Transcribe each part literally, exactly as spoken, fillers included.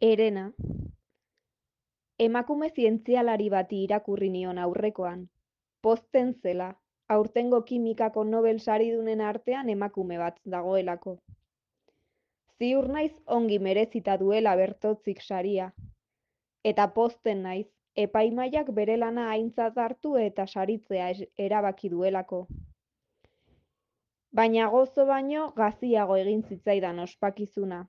Herena, emakume zientzialari bati irakurri nion aurrekoan. Pozten zela, aurtengo kimikako Nobel saridunen artean emakume bat dagoelako. Ziur naiz ongi merezita duela Bertotzik saria. Eta pozten naiz, epaimahaiak bere lana aintzat hartu eta saritzea erabaki duelako. Baina gozo baino gaziago egin zitzaidan ospakizuna.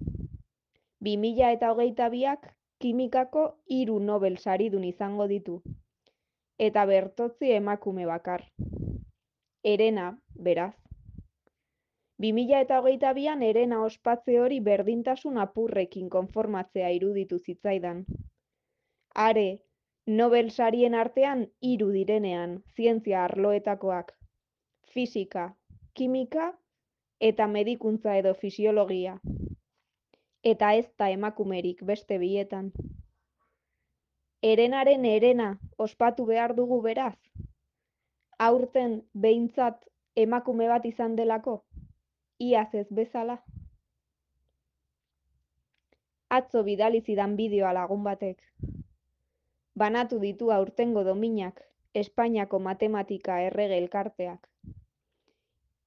Bi mila eta hogeita biak kimikako hiru Nobel saridun izango ditu. Eta Bertotzi emakume bakar. Herena, beraz. Bi mila eta hogeita bian Herena ospatze hori berdintasun apurrekin konformatzea iruditu zitzaidan. Are, Nobel sarien artean hiru direnean, zientzia arloetakoak. Fisika, kimika eta medikuntza edo fisiologia. Eta ez da emakumerik beste bietan. Herenaren herena ospatu behar dugu beraz? Aurten behintzat emakume bat izan delako? Iaz ez bezala? Atzo bidali zidan bideoa lagun batek. Banatu ditu aurtengo dominak, Espainiako matematika errege elkarteak.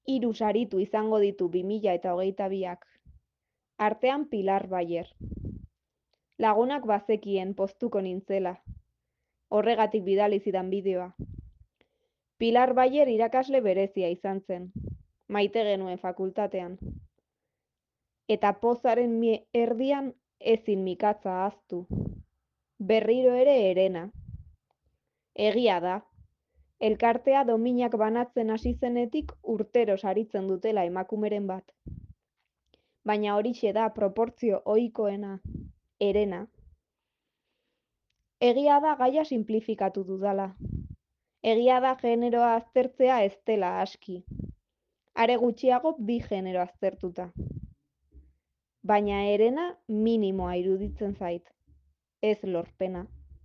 Hiru saritu izango ditu bi mila eta hogeita biak. Artean Pilar Bayer. Lagunak bazekien poztuko nintzela. Horregatik bidali zidan bideoa. Pilar Bayer irakasle berezia izan zen. Maite genuen fakultatean. Eta pozaren erdian ezin mikatza ahaztu. Berriro ere Herena. Egia da. Elkartea dominak banatzen hasi zenetik urtero saritzen dutela emakumeren bat. Baina horixe da proportzio ohikoena, Herena. Egia da gaia sinplifikatu dudala. Egia da generoa aztertzea ez dela aski. Are gutxiago bi genero aztertuta. Baina Herena minimoa iruditzen zait. Ez lorpena.